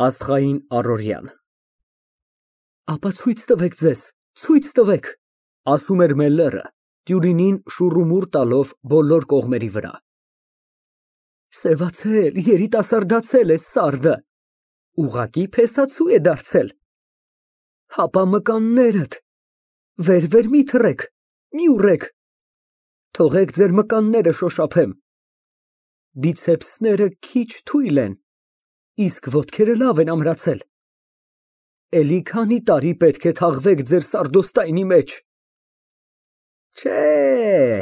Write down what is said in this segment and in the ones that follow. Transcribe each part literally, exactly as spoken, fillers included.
Աստղային առօրյան։ Ապա ցույց տվեք ձեզ, ցույց տվեք, ասում էր Մելլերը, տյուրինին շուռումուռ տալով բոլոր կողմերի վրա։ Սևացել, երիտասարդացել է սարդը, ուղղակի փեսացու է դարձել։ Հապա մկաններդ, վեր֊վեր մի թռեք, մի ուռեք, թողեք ձեր մկանները շոշափեմ։ Բիցեպսները քիչ թույլ են, իսկ ոտքերը լավ են ամրացել։ Էլի քանի տարի պետք է թաղվեք ձեր սարդոստայնի մեջ։ Չէ,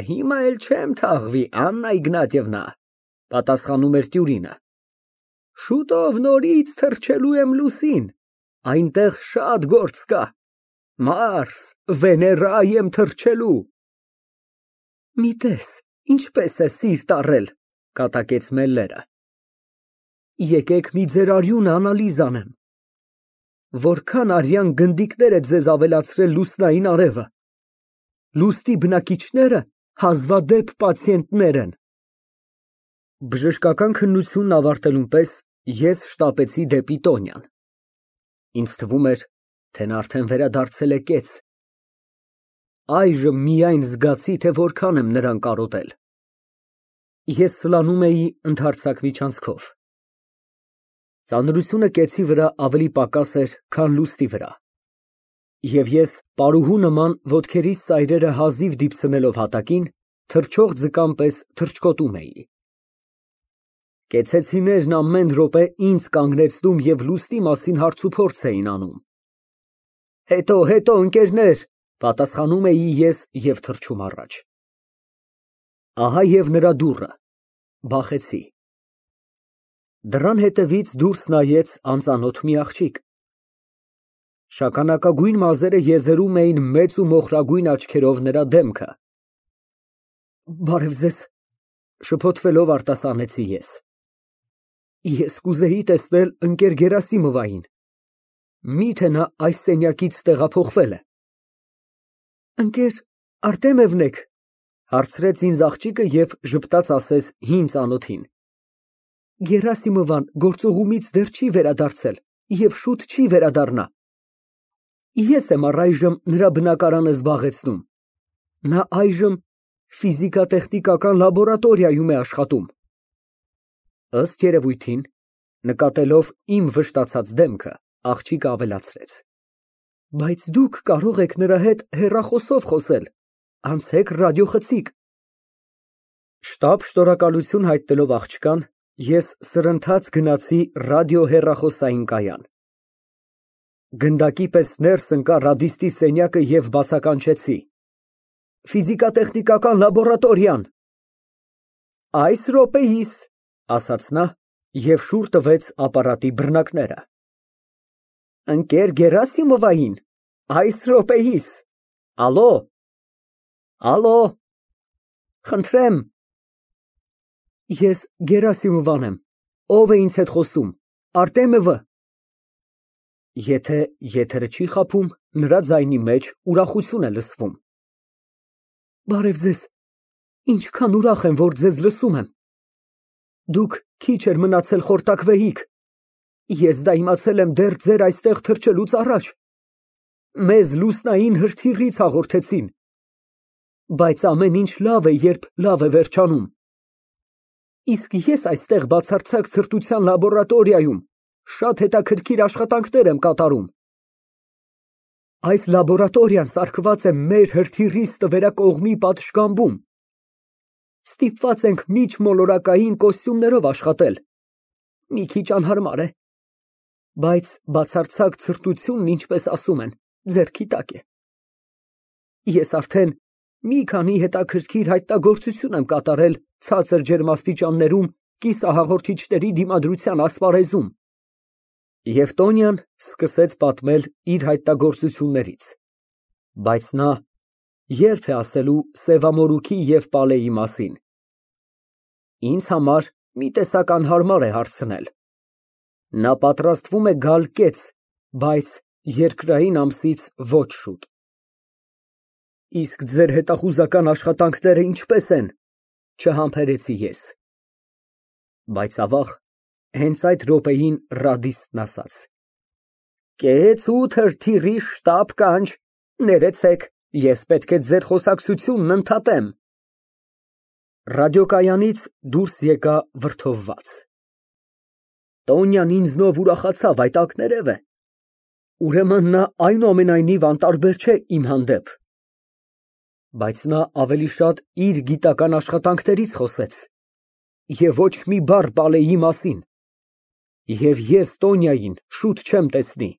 հիմա էլ չեմ թաղվի, Աննա Իգնատիևնա, պատասխանում էր տյուրինը։ Շուտով նորից թռչելու եմ լուսին, այնտեղ շատ գործ կա, Մարս, Վեներա եմ թռչելու։ Մի տես, ինչպես է սիրտ առել, կատակեց Մելլերը։ Եկեք մի ձեր արյունը անալիզ անեմ։ Որքան արյան գնդիկներ է ձեզ ավելացրել լուսնային արևը։ Լուստի բնակիչները հազվադեպ պացիենտներ են։ Բժշկական քննությունն ավարտելուն պես ես շտապեցի դեպի Տոնյան։ Ինձ թվում էր, թե նա արդեն վերադարձել է կեց։ Այժմ միայն զգացի, թե որքան եմ նրան կարոտել։ Ես սլանում էի ընդարձակ միջանցքով։ Ծանրությունը կեցի վրա ավելի պակաս էր, քան լուստի վրա, և ես պարուհու նման ոտքերիս սայրերը հազիվ դիպցնելով հատակին, թռչող ձկան պես թռչկոտում էի։ Կեցեցիներն ամեն րոպե ինձ կանգնեցնում և լուստի մասին հարցուփորձ էին անում։ Հետո, հետո, ընկերներ, պատասխանում էի ես և թռչում առաջ։ Ահա և նրա դուռը, բախեցի։ Դռան հետևից դուրս նայեց անծանոթ մի աղջիկ։ Շագանակագույն մազերը եզերում էին մեծ ու մոխրագույն աչքերով նրա դեմքը։ Բարև ձեզ, շփոթվելով արտասանեցի ես։ Ես կուզեի տեսնել ընկեր Գերասիմովային, միթե նա այս սենյակից տեղափոխվել է։ Ընկեր Արտեմևն եք, հարցրեց ինձ աղջիկը և ժպտաց ասեց հին ծանոթին։ Գերասիմովան գործուղումից դեռ չի վերադարձել և շուտ չի վերադառնա։ Ես եմ առայժմ նրա բնակարանը զբաղեցնում։ Նա այժմ ֆիզիկա֊տեխնիկական լաբորատորիայում է աշխատում։ Ըստ երևույթին, նկատելով իմ վշտացած դեմքը, աղջիկը ավելացրեց. Բայց դուք կարող եք նրա հետ հեռախոսով խոսել, անցեք ռադիոխցիկ։ Շտապ շնորհակալություն հայտնելով աղջկան, ես սրընթաց գնացի ռադիոհեռախոսային կայան։ Գնդակի պես ներս ընկա ռադիստի սենյակը և բացականչեցի. Ֆիզիկա֊տեխնիկական լաբորատորիան։ Այս րոպեիս, ասաց նա և շուռ տվեց ապարատի բռնակները։ Ընկեր Գերասիմովային, այս րոպեիս, ալո, ալո, խնդրեմ։ Ես Գերասիմովան եմ, ով է ինձ հետ խոսում, Արտեմովը։ Եթե եթերը չի խաբում, նրա ձայնի մեջ ուրախություն է լսվում։ Բարև ձեզ, ինչքան ուրախ եմ, որ ձեզ լսում եմ։ Դուք քիչ էր մնացել խորտակվեիք, ես դա իմացել եմ դեռ ձեր այստեղ թռչելուց առաջ։ Մեզ լուսնային հրթիռից հաղորդեցին։ Բայց ամեն ինչ լավ է, երբ լավ է վերջանում։ Իսկ ես այստեղ բացարձակ սրտության լաբորատորիայում շատ հետաքրքիր աշխատանքներ եմ կատարում։ Այս լաբորատորիան սարքված է մեր հրթիռի ստվերակողմի պատշգամբում։ Ստիպված ենք միջմոլորակային կոստյումներով աշխատել։ Մի քիչ անհարմար է, բայց բացարձակ սրտությունն, ինչպես ասում են, ձեռքի տակ է։ Ես արդեն մի քանի հետաքրքիր հայտնագործություն եմ կատարել ցածր ջերմաստիճաններում կիսահաղորդիչների դիմադրության ասպարեզում։ Եվ Տոնյան սկսեց պատմել իր հայտնագործություններից, բայց նա երբ է ասելու սևամորուքի և պալեի մասին։ Ինձ համար մի տեսակ անհարմար է հարցնել։ Նա պատրաստվում է գալ կեց, բայց երկրային ամսից ոչ շուտ։ Իսկ ձեր հետախուզական աշխատանքները ինչպե՞ս են, չհամբերեցի ես։ Բայց ավաղ, Հենց այդ րոպեին ռադիստն ասաց. Կեց ու թրթիռի շտապ կանչ, ներեցեք, ես պետք է ձեր խոսակցությունն ընդհատեմ։ Ռադիոկայանից դուրս եկա վրդովված։ Տոնյան ինձնով ուրախացավ, այդ ակներև է։ Ուրեմն նա այնուամենայնիվ անտարբեր չէ իմ հանդեպ։ Բայց նա ավելի շատ իր գիտական աշխատանքներից խոսեց և ոչ մի բառ Պալեի մասին, և ես Տոնյային շուտ չեմ տեսնի։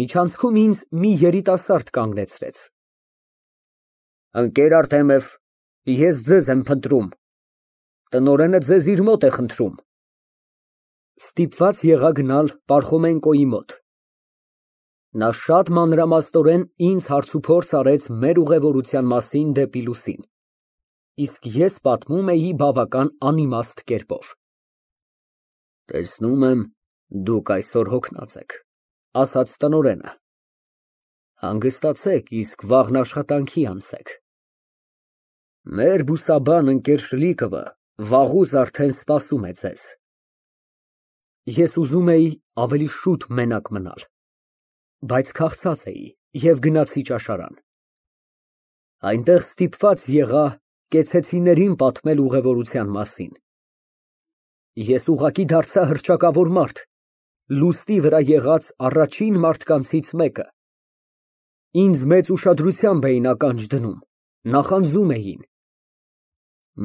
Միջանցքում ինձ մի երիտասարդ կանգնեցրեց։ Ընկեր Արտեմև, ես ձեզ եմ փնտրում, տնօրենը ձեզ իր մոտ է խնդրում։ Ստիպված եղա գնալ Պարխոմենկոյի մոտ։ Նա շատ մանրամասնորեն ինձ հարցուփորձ արեց մեր ուղևորության մասին դեպի լուսին, իսկ ես պատմում էի բավական անիմաստ կերպով։ Տեսնում եմ, դուք այսօր հոգնած եք, ասաց տնօրենը։ Հանգստացեք, իսկ վաղն աշխատանքի անցեք։ Մեր բուսաբան ընկեր Շլիկովը վաղուց արդեն սպասում է ձեզ։ Ես ուզում էի ավելի շուտ մենակ մնալ, բայց քաղցած էի և գնացի ճաշարան։ Այնտեղ ստիպված եղա կեցեցիներին պատմել ուղևորության մասին։ Ես ուղղակի դարձա հռչակավոր մարդ, լուստի վրա եղած առաջին մարդկանցից մեկը։ Ինձ մեծ ուշադրությամբ էին ականջ դնում, նախանձում էին։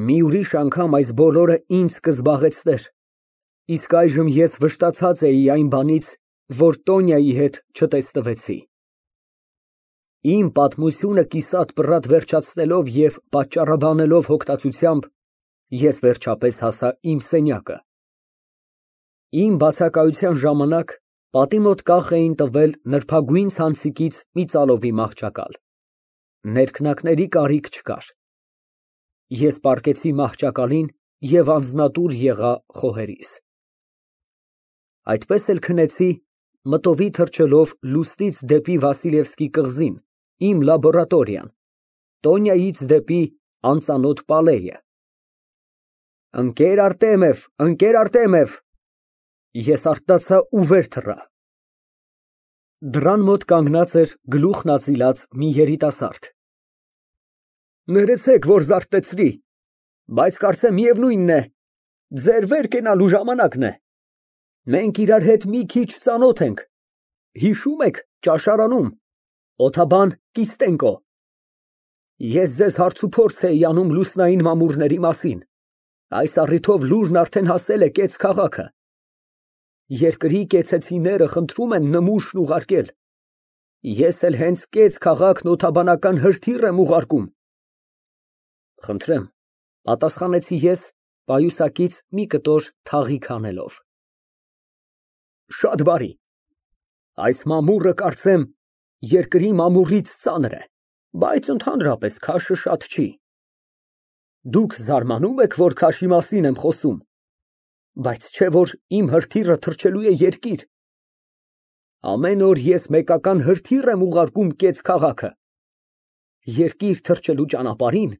Մի ուրիշ անգամ այս բոլորը ինձ կզբաղեցներ, իսկ այժմ ես վշտացած էի այն բանից, որ Տոնյայի հետ չտեսնվեցի։ Իմ պատմությունը կիսատ֊պռատ վերջացնելով և պատճառաբանելով հոգնածությամբ, ես վերջապես հասա իմ սենյակը։ Իմ բացակայության ժամանակ պատի մոտ կախ էին տվել նրբագույն ցանցիկից մի ծալովի մահճակալ։ Ներքնակների կարիք չկար։ Ես պառկեցի մահճակալին և անձնատուր եղա խոհերիս։ Այդպես էլ քնեցի, մտովի թռչելով լուստից դեպի Վասիլևսկի կղզին, իմ լաբորատորիան, Տոնյայից դեպի անծանոթ Պալեյը։ Ընկեր Արտեմև, ընկեր Արտեմև, ես արթնացա ու վեր թռա։ Դռան մոտ կանգնած էր գլուխն ածիլած մի երիտասարդ։ Ներեցեք, որ զարթեցրի, բայց կարծեմ միևնույնն է, ձեր վեր կենալու ժամանակն է։ Մենք իրար հետ մի քիչ ծանոթ ենք, հիշում եք ճաշարանում, օթաբան Կիստենկո։ Ես ձեզ հարցուփորձ էի անում լուսնային մամուռների մասին, այս առիթով լուրն արդեն հասել է կեց քաղաքը։ Երկրի կեցեցիները խնդրում են նմուշն ուղարկել, ես էլ հենց կեց քաղաքն օթաբանական հրթիռ եմ ուղարկում։ Խնդրեմ, պատասխանեցի ես պայուսակից մի կտոր թաղիկ հանելով։ Շատ բարի, այս մամուռը կարծեմ երկրի մամուռից ծանր է, բայց ընդհանրապես քաշը շատ չի։ Դուք զարմանում եք, որ քաշի մասին եմ խոսում, բայց չէ որ իմ հրթիռը թռչելու է երկիր։ Ամեն օր ես մեկական հրթիռ եմ ուղարկում կեց քաղաքը։ Երկիր թռչելու ճանապարհին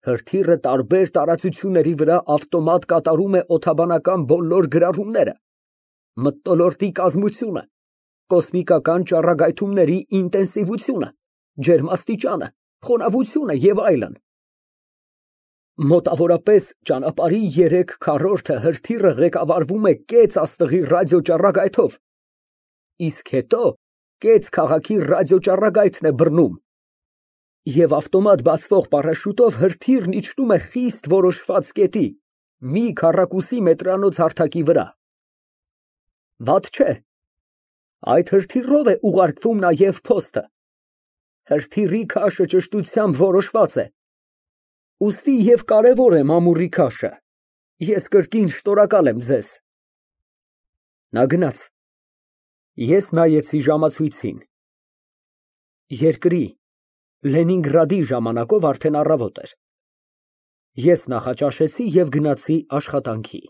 հրթիռը տարբեր տարածությունների վրա ավտոմատ կատարում է օթաբանական բոլոր գրառումները, մթնոլորտի կազմությունը, կոսմիկական ճառագայթումների ինտենսիվությունը, ջերմաստիճանը, խոնավությունը և այլն։ Մոտավորապես ճանապարհի երեք քառորդը հրթիռը ղեկավարվում է կեց աստղի ռադիոճառագայթով, իսկ հետո կեց քաղաքի ռադիոճառագայթն է բռնում, և ավտոմատ բացվող պարաշուտով հրթիռն իջնում է խիստ որոշված կետի, մի քառակուսի մետրանոց հարթակի վրա։ Վատ չէ, այդ հրթիռով է ուղարկվում նաև փոստը։ Հրթիռի քաշը ճշտությամբ որոշված է, ուստի և կարևոր է մամուռի քաշը։ Ես կրկին շնորհակալ եմ ձեզ։ Նա գնաց։ Ես նայեցի ժամացույցին։ Երկրի, Լենինգրադի ժամանակով արդեն առավոտ էր։ Ես նախաճաշեցի և գնացի աշխատանքի։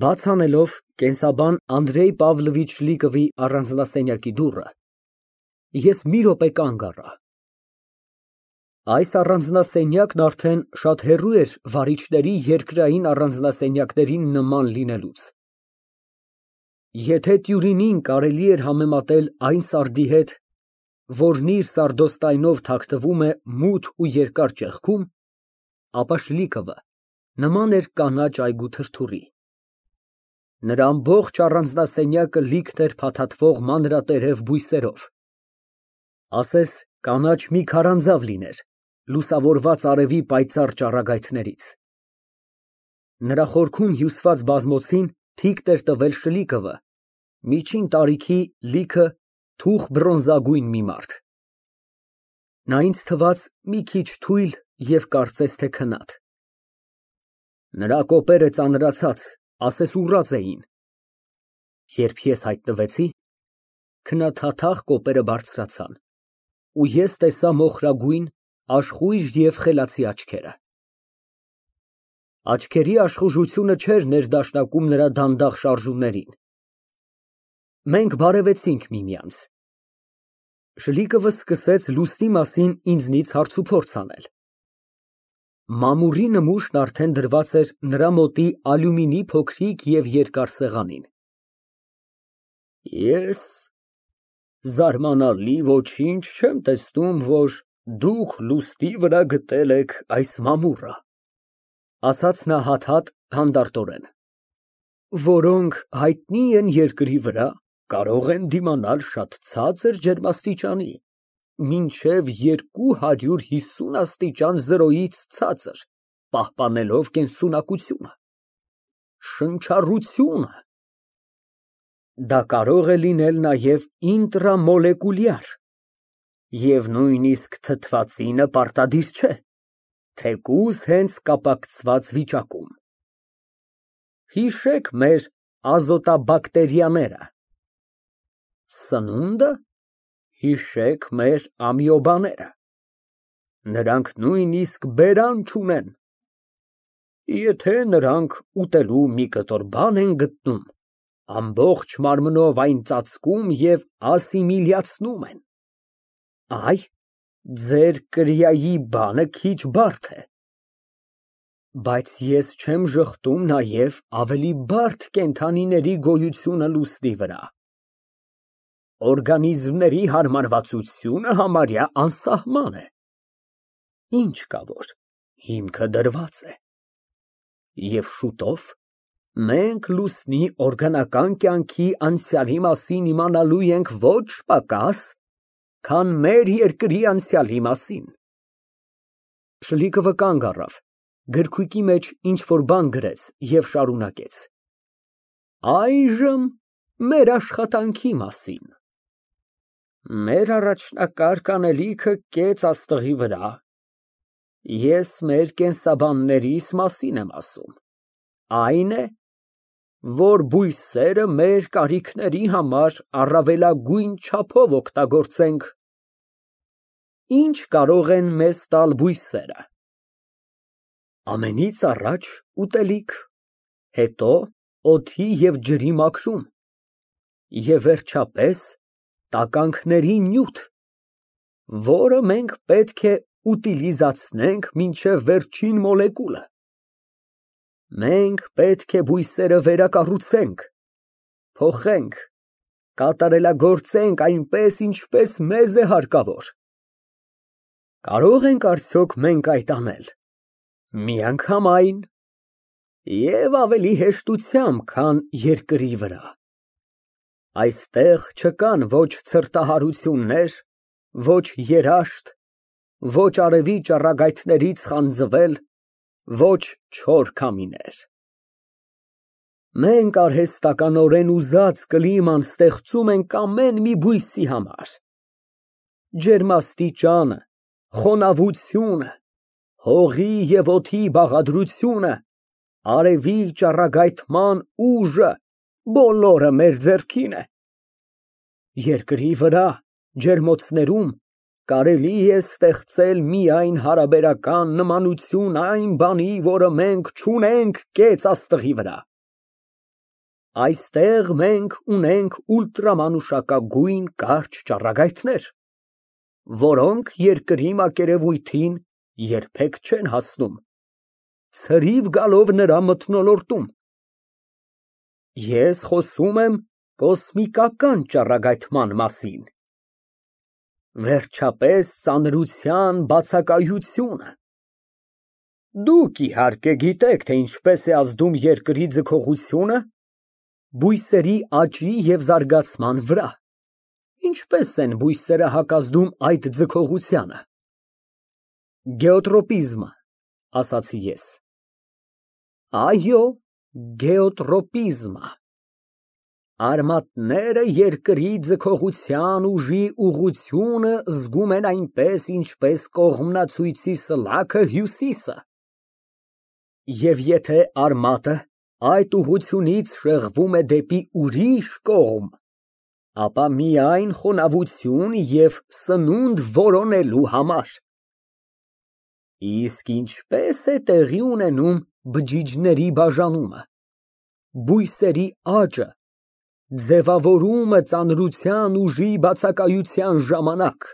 Բաց անելով կենսաբան Անդրեյ Պավլովիչ Շլիկովի առանձնասենյակի դուռը, ես մի րոպե կանգ առա։ Այս առանձնասենյակն արդեն շատ հեռու էր վարիչների երկրային առանձնասենյակներին նման լինելուց։ Եթե Տյուրինին կարելի էր համեմատել այն սարդի հետ, որն իր սարդոստայնով թաքնվում է մութ ու երկար ճեղքում, ապա Շլիկովը նման էր կանաչ այգու թրթուրի։ Նրա ամբողջ առանձնասենյակը լիքն էր փաթաթվող մանրատերև բույսերով, ասես կանաչ մի քարանձավ լիներ, լուսավորված արևի պայծառ ճառագայթներից։ Նրա խորքում հյուսված բազմոցին թիկն էր տվել Շլիկովը, միջին տարիքի լիքը թուխ բրոնզագույն մի մարդ։ Նա ինձ թվաց մի քիչ թույլ և կարծես թե քնած։ Նրա կոպերը ծանրացած, ասես ուռած էին։ Երբ ես հայտնվեցի, քնաթաթախ կոպերը բարձրացան, ու ես տեսա մոխրագույն, աշխույժ և խելացի աչքերը։ Աչքերի աշխուժությունը չէր ներդաշնակում նրա դանդաղ շարժումներին։ Մենք բարևեցինք միմյանց։ Շլիկովը սկսեց լուսնի մասին ինձնից հարցուփորձ անել։ Մամուրի նմուշն արդեն դրված էր նրա մոտի ալյումինի փոքրիկ և երկար սեղանին։ Ես զարմանալի ոչինչ չեմ տեսնում, որ դուք լուսնի վրա գտել եք այս մամուռը, ասաց նա հատ֊հատ հանդարտորեն, որոնք հայտնի են երկրի վրա, կարող են դիմանալ շատ ցածր ջերմաստիճանի, մինչև երկու հարյուր հիսուն աստիճան զրոյից ցածր, պահպանելով կենսունակությունը, շնչառությունը։ Դա կարող է լինել նաև ինտրամոլեկուլյար, և նույնիսկ թթվածինը պարտադիր չէ, թեկուզ հենց կապակցված վիճակում։ Հիշեք մեր ազոտաբակտերիաները, սնունդը, հիշեք մեր ամիոբաները, նրանք նույնիսկ բերան չունեն։ Եթե նրանք ուտելու մի կտոր բան են գտնում, ամբողջ մարմնով այն ծածկում և ասիմիլյացնում են։ Այ, ձեր կրիայի բանը քիչ բարդ է։ Բայց ես չեմ ժխտում նաև ավելի բարդ կենդանիների գոյությունը լուսնի վրա։ Օրգանիզմների հարմարվածությունը համարյա անսահման է։ Ինչ կա որ հիմքը դրված է։ Եվ շուտով մենք լուսնի օրգանական կյանքի անցյալի մասին իմանալու ենք ոչ պակաս, քան մեր երկրի անցյալի մասին։ Շլիկովը կանգ առավ, գրքույկի մեջ ինչ֊որ բան գրեց և շարունակեց. Այժմ մեր աշխատանքի մասին։ Մեր առաջնակարգ անելիքը կեց աստղի վրա, ես մեր կենսաբաններիս մասին եմ ասում, այն է, որ բույսերը մեր կարիքների համար առավելագույն չափով օգտագործենք։ Ինչ կարող են մեզ տալ բույսերը։ Ամենից առաջ ուտելիք, հետո օդի և ջրի մաքրում, և վերջապես տականքների նյութ, որը մենք պետք է ուտիլիզացնենք մինչև վերջին մոլեկուլը։ Մենք պետք է բույսերը վերակառուցենք, փոխենք, կատարելագործենք այնպես, ինչպես մեզ է հարկավոր։ Կարո՞ղ ենք արդյոք մենք այդ անել, միանգամայն և ավելի հեշտությամբ, քան երկրի վրա։ Այստեղ չկան ոչ ցրտահարություններ, ոչ երաշտ, ոչ արևի ճառագայթներից խանձվել, ոչ չոր քամիներ։ Մենք արհեստականորեն ուզած կլիման ստեղծում ենք ամեն մի բույսի համար. ջերմաստիճանը, խոնավությունը, հողի և օդի բաղադրությունը, արևի ճառագայթման ուժը, բոլորը մեր ձեռքին է։ Երկրի վրա, ջերմոցներում կարելի է ստեղծել միայն հարաբերական նմանություն այն բանի, որը մենք չունենք կեց աստղի վրա։ Այստեղ մենք ունենք ուլտրամանուշակագույն կարճ ճառագայթներ, որոնք երկրի մակերևույթին երբեք չեն հասնում, ցրիվ գալով նրա մթնոլորտում։ Ես խոսում եմ կոսմիկական ճառագայթման մասին, վերջապես ծանրության բացակայությունը։ Դուք իհարկե գիտեք, թե ինչպես է ազդում երկրի ձգողությունը բույսերի աճի և զարգացման վրա, ինչպես են բույսերը հակազդում այդ ձգողությանը։ Գեոտրոպիզմը, ասացի ես։ Այո, գեոտրոպիզմը։ Արմատները երկրի ձգողության ուժի ուղղությունը զգում են այնպես, ինչպես կողմնացույցի սլաքը հյուսիսը։ Եվ եթե արմատը այդ ուղղությունից շեղվում է դեպի ուրիշ կողմ, ապա միայն խոնավություն և սնունդ որոնելու համար։ Իսկ ինչպես է տեղի ունենում բջիջների բաժանումը, բույսերի աճը, ձևավորումը ծանրության ուժի բացակայության ժամանակ։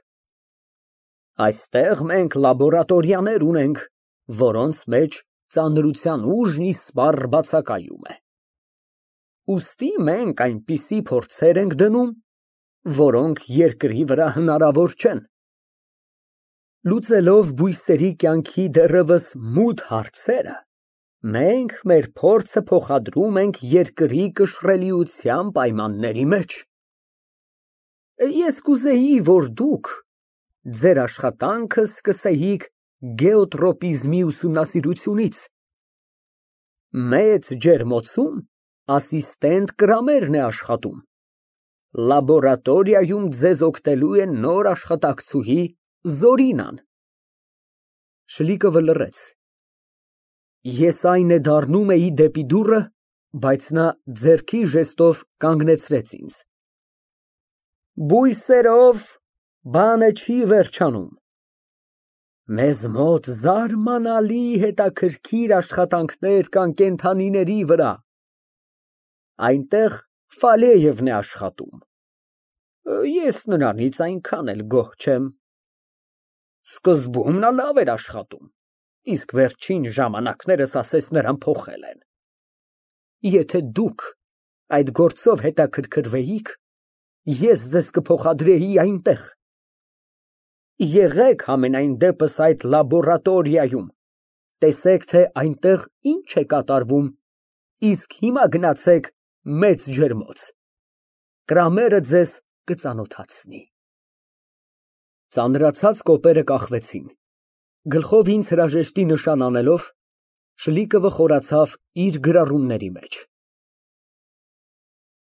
Այստեղ մենք լաբորատորիաներ ունենք, որոնց մեջ ծանրության ուժն իսպառ բացակայում է։ Ուստի մենք այնպիսի փորձեր ենք դնում, որոնք երկրի վրա հնարավոր չեն։ Լուծելով բույսերի կյանքի դեռևս մութ հարցերը, մենք մեր փորձը փոխադրում ենք երկրի կշռելիության պայմանների մեջ։ Ես կուզեի, որ դուք ձեր աշխատանքը սկսեիք գեոտրոպիզմի ուսումնասիրությունից։ Մեծ ջերմոցում ասիստենտ կրամերն է աշխատում։ Լաբորատորիայում ձեզ օգնելու է նոր աշխատակցուհի Զորինան։ Շլիկովը լռեց։ Ես այն է դառնում էի դեպի դուռը, բայց նա ձեռքի ժեստով կանգնեցրեց ինձ։ Բույսերով բանը չի վերջանում։ Մեզ մոտ զարմանալի հետաքրքիր աշխատանքներ կան կենդանիների վրա։ Այնտեղ Ֆալեևն է աշխատում։ Ես նրանից այնքան էլ գոհ չեմ։ Սկզբում նա լավ էր աշխատում, իսկ վերջին ժամանակներս ասես նրան փոխել են։ Եթե դուք այդ գործով հետաքրքրվեիք, ես ձեզ կփոխադրեի այնտեղ։ Եղեք համենայն դեպս այդ լաբորատորիայում, տեսեք, թե այնտեղ ինչ է կատարվում, իսկ հիմա գնացեք մեծ ջերմոց, Կրամերը ձեզ կծանոթացնի։ Ծանրացած կոպերը կախվեցին, գլխով ինձ հրաժեշտի նշան անելով, Շլիկովը խորացավ իր գրառումների մեջ։